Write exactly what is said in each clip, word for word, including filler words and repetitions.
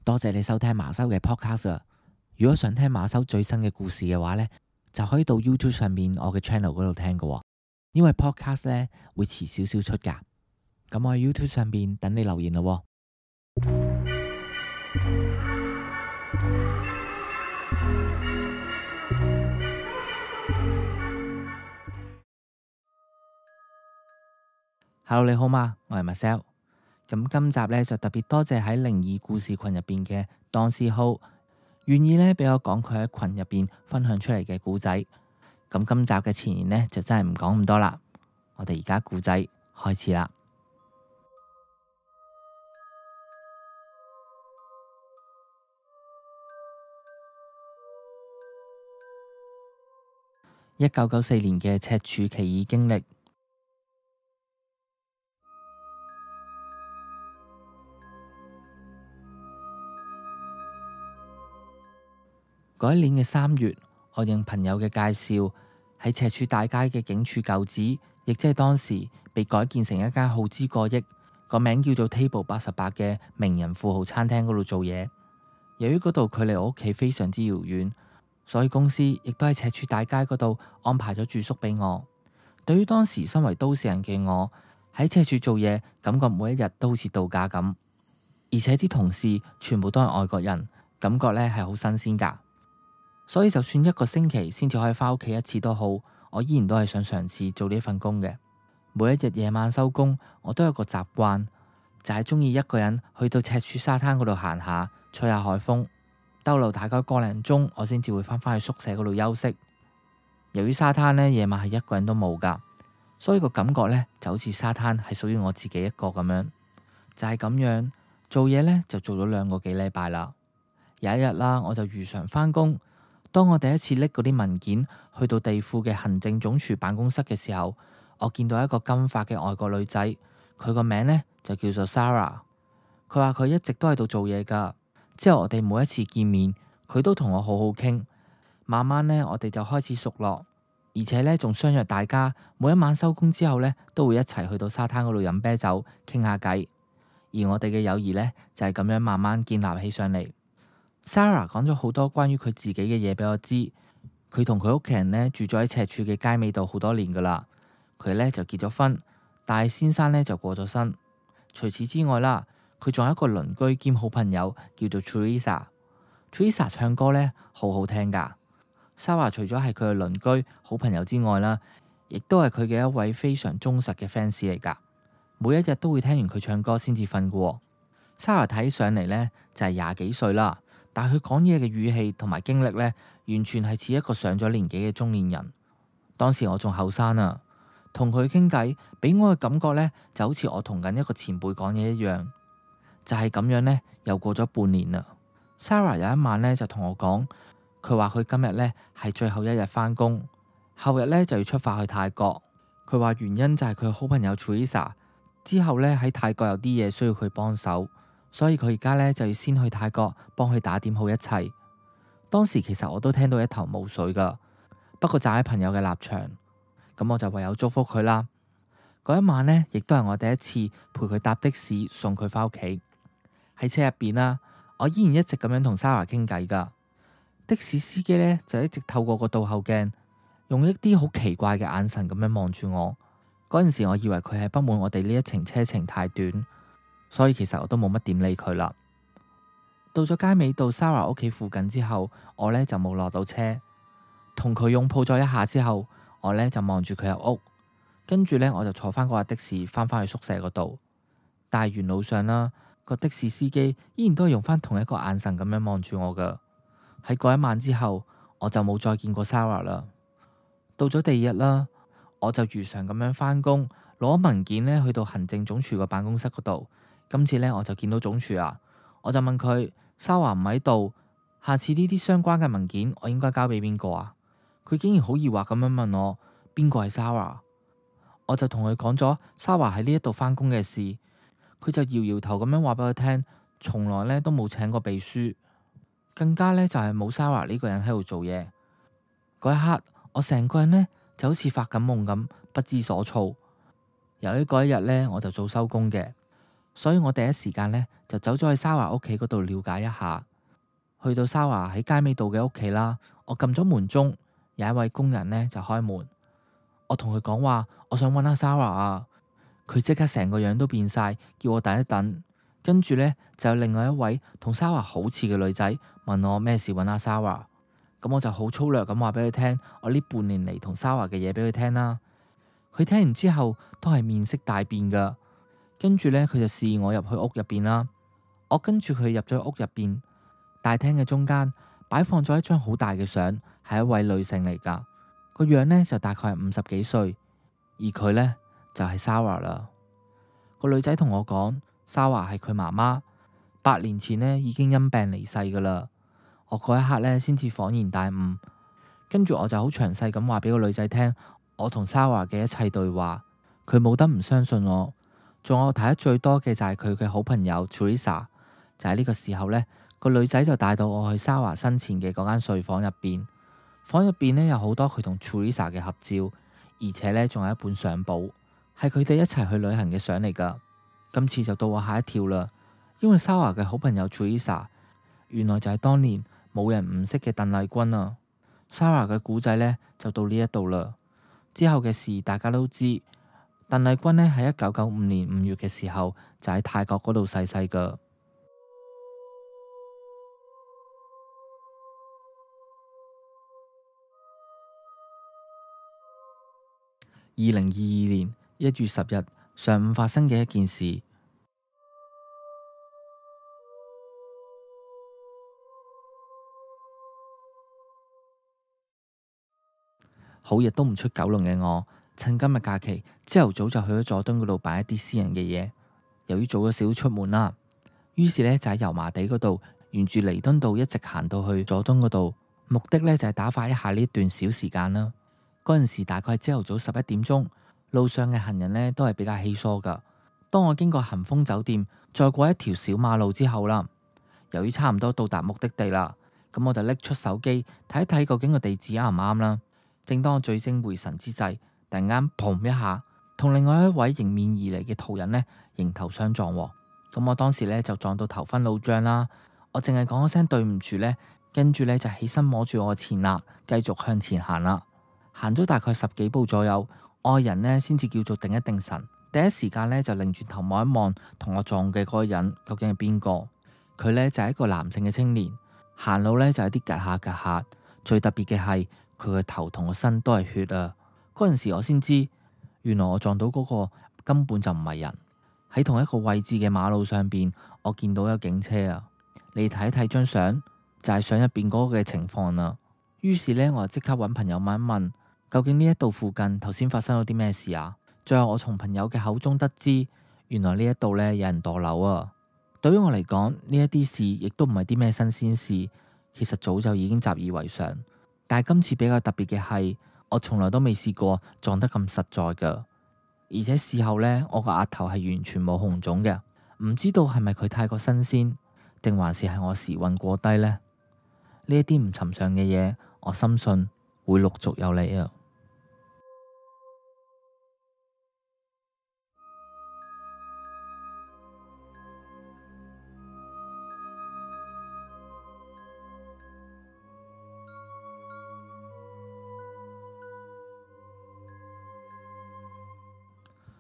多謝你收聽馬修嘅 podcast 啊！如果想聽馬修最新嘅故事嘅話呢，就可以到 YouTube 上面我嘅 channel 嗰度聽㗎喎。因為 podcast 呢會遲少少出㗎。咁我喺 YouTube 上面等你留言咯喎。Hello， 你好嗎？我係 Marcel。咁今集呢，就特別多謝喺靈異故事群入邊嘅 Don C Ho，願意呢俾我講佢喺群入邊分享出嚟嘅故仔。咁今集嘅前言呢，就真係唔講咁多啦。我哋而家故仔開始啦。一九九四年嘅赤柱奇異經歷。嗰一年嘅三月，我應朋友嘅介紹，喺赤柱大街嘅警署舊址，亦即係當時被改建成一間耗資過億、個名叫做 Table 八十八嘅名人富豪餐廳嗰度做嘢。由於嗰度距離我屋企非常之遙遠，所以公司亦都喺赤柱大街嗰度安排咗住宿俾我。對於當時身為都市人嘅我，喺赤柱做嘢，感覺每一日都好似度假咁，而且啲同事全部都係外國人，感覺咧係好新鮮噶。所以就算一個星期先至可以返屋企一次都好，我依然都係想嘗試做呢份工嘅。每一日夜晚收工，我都有個習慣，就係中意一個人去到赤柱沙灘嗰度行下，吹下海風，逗留大概個零鐘，我先至會返返去宿舍嗰度休息。由於沙灘呢夜晚係一個人都冇噶，所以個感覺呢就好似沙灘係屬於我自己一個咁樣。就係咁樣做嘢呢，就做咗兩個幾禮拜啦。有一日啦，我就如常返工。當我第一次拎嗰啲文件去到地庫嘅行政總署辦公室嘅時候，我見到一個金髮嘅外國女仔，佢個名呢就叫做 Sarah。佢話佢一直都喺度做嘢噶。之後我哋每一次見面，佢都同我好好傾。慢慢呢，我哋就開始熟絡，而且呢仲相約大家每一晚收工之後呢，都會一齊去到沙灘嗰度飲啤酒傾下偈。而我哋嘅友誼呢，就係咁樣慢慢建立起上嚟。Sarah 講咗好多關於佢自己嘅嘢俾我知。佢同佢屋企人呢住咗喺赤柱嘅街尾度好多年噶啦。佢呢就結咗婚，但係先生呢就過咗身。除此之外啦，佢仲有一個鄰居兼好朋友叫做 Teresa。Teresa 唱歌呢好好聽噶。Sarah 除咗係佢嘅鄰居好朋友之外啦，亦都係佢嘅一位非常忠實嘅 fans 嚟噶。每一日都會聽完佢唱歌先至瞓噶。Sarah 睇上嚟呢就係廿幾歲啦。但係佢講嘢嘅語氣同埋經歷呢，完全係似一個上咗年紀嘅中年人。當時我仲後生啊，同佢傾偈，俾我嘅感覺呢，就好似我同緊一個前輩講嘢一樣。就係咁樣呢，又過咗半年啦。Sarah 有一晚呢，就同我講，佢話佢今日呢係最後一日返工，後日呢就要出發去泰國。佢話原因就係佢好朋友 Teresa 之後呢喺泰國有啲嘢需要佢幫手。所以佢而家咧就要先去泰國幫佢打點好一切。當時其實我都聽到一頭霧水噶，不過站喺朋友嘅立場，咁我就唯有祝福佢啦。嗰一晚呢，亦都係我第一次陪佢搭的士送佢返屋企。喺車入邊啦，我依然一直咁樣同 Sarah 傾偈噶。的士司機呢，就一直透過個倒後鏡，用一啲好奇怪嘅眼神咁樣望住我。嗰陣時我以為佢係不滿我哋呢一程車程太短。所以其實我都冇乜點理佢啦。到咗街尾到 Sarah 屋企附近之後，我呢就冇落到車，同佢擁抱咗一下之後，我呢就望住佢入屋，跟住呢，我就坐翻嗰架的士翻返去宿舍嗰度。但係沿路上啦，個的士司機依然都係用翻同一個眼神咁樣望住我噶。喺嗰一晚之後，我就冇再見過 Sarah 啦。到咗第二日啦，我就如常咁樣返工，攞文件呢去到行政總署個辦公室嗰度。今次呢，我就見到總署啊，我就問佢 Sarah 唔喺度，下次呢啲相關嘅文件我應該交俾邊個啊？佢竟然好疑惑咁樣問我邊個係 Sarah。我就同佢講咗 Sarah 喺呢一度返工嘅事，佢就搖搖頭咁樣話俾我聽，從來呢都冇請過秘書，更加呢就係冇 Sarah 呢個人喺度做嘢。嗰一刻我成個人呢就好似發緊夢咁，不知所措。由於嗰一日呢，我就早收工嘅。所以我第一時間呢，就走咗去沙華屋企嗰度了解一下。去到沙華喺街尾度嘅屋企啦，我撳咗門鐘，有一位工人呢就開門。我同佢講話，我想揾阿沙華啊。佢即刻成個樣都變晒，叫我等一等。跟住呢，就有另外一位同沙華好似嘅女仔問我咩事揾阿沙華。咁我就好粗略咁話俾佢聽，我呢半年嚟同沙華嘅嘢俾佢聽啦。佢聽完之後都係面色大變噶。跟住呢，佢就示意我入去屋入邊啦。我跟住佢入咗屋入邊，大廳嘅中間擺放咗一張好大嘅相，係一位女性嚟噶，個樣呢，就大概係五十幾歲，而佢呢，就係沙華啦。個女仔同我講，沙華係佢媽媽，八年前呢已經因病離世噶啦。我嗰一刻呢，先至恍然大悟，跟住我就好詳細咁話俾個女仔聽，我同沙華嘅一切對話，佢冇得唔相信我。仲有我睇得最多嘅就係佢嘅好朋友 Teresa。就喺呢個時候呢，個女仔就帶到我去沙華生前嘅嗰間睡房入邊，房入邊呢，有好多佢同 Teresa 嘅合照，而且呢，仲有一本相簿，係佢哋一齊去旅行嘅相嚟噶。今次就到我嚇一跳啦，因為沙華嘅好朋友 Teresa 原來就係當年冇人唔識嘅鄧麗君啊。沙華嘅故仔呢，就到呢一度啦，之後嘅事大家都知。鄧麗君呢，喺一九九五年五月嘅時候就喺泰國嗰度逝世噶。二零二二年一月十日上午發生嘅一件事。好日都唔出九龍嘅我，趁今日假期，朝頭早就去咗佐敦嗰度辦一啲私人嘅嘢。由於早咗少少出門啦，於是呢，就喺油麻地嗰度沿住彌敦道一直行到去佐敦嗰度，目的呢，就係打發一下呢段小時間啦。嗰陣時大概係朝頭早十一點鐘，路上嘅行人呢都係比較稀疏噶。當我經過恒豐酒店，再過一條小馬路之後啦，由於差唔多到達目的地啦，咁我就拎出手機睇一睇究竟個地址啱唔啱啦。正當我聚精會神之際，突然間砰一下，同另外一位迎面而嚟嘅途人呢迎頭相撞。咁我當時呢就撞到頭昏腦脹啦，我淨係講咗聲對唔住呢，跟住呢就起身摸住我嘅前額，繼續向前行啦。行咗大概十幾步左右，愛人呢先至叫做定一定神。第一時間呢就擰轉頭望一望，同我撞嘅嗰個人究竟係邊個？佢呢就係一個男性嘅青年，行路呢就有啲趷下趷下。最特別嘅係佢個頭同個身都係血啊！嗰陣時我先知，原來我撞到嗰個根本就唔係人。喺同一個位置嘅馬路上邊，我見到有警車啊！你睇一睇張相，就係相入邊嗰個嘅情況啦。於是呢，我就即刻揾朋友問一問，究竟呢一度附近頭先發生咗啲咩事啊？最後我從朋友嘅口中得知，原來呢一度呢有人墮樓啊！對於我嚟講，呢一啲事亦都唔係啲咩新鮮事，其實早就已經習以為常。但係今次比較特別嘅係，我從來都未試過撞得咁實在噶，而且事後呢，我個額頭係完全冇紅腫嘅，唔知道係咪佢太過新鮮，定還是係我時運過低呢？呢一啲唔尋常嘅嘢，我深信會陸續有嚟啊！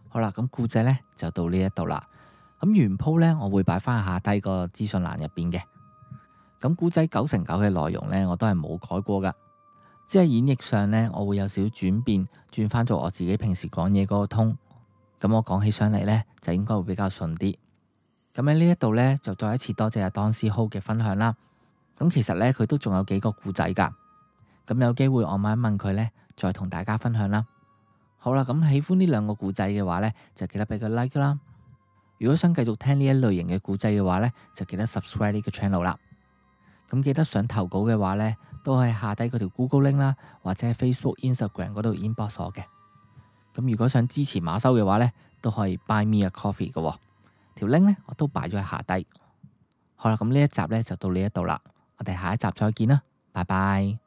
好啦，咁故仔呢就到呢一度啦。咁原鋪呢，我會擺翻下低個資訊欄入邊嘅。咁故仔九成九嘅內容呢，我都係冇改過噶，即係演繹上呢，我會有少少轉變，轉翻做我自己平時講嘢嗰個通。咁我講起上嚟呢，就應該會比較順啲。咁喺呢一度呢，就再一次多謝阿 Don C Ho 嘅分享啦。咁其實呢，佢都仲有幾個故仔噶。咁有機會我問一問佢呢，再同大家分享啦。好啦，咁喜歡呢兩個故仔嘅話呢，就記得俾個 like 啦。如果想繼續聽呢一類型嘅故仔嘅話呢，就記得 subscribe 呢個 channel 啦。咁記得想投稿嘅話呢，都可以下低嗰條 Google link 啦，或者喺 Facebook、Instagram 嗰度 inbox 我嘅。咁如果想支持馬修嘅話呢，都可以 buy me a coffee 嘅。條 link 呢，我都擺咗喺下低。好啦，咁呢一集呢，就到呢一度啦，我哋下一集再見啦，拜拜。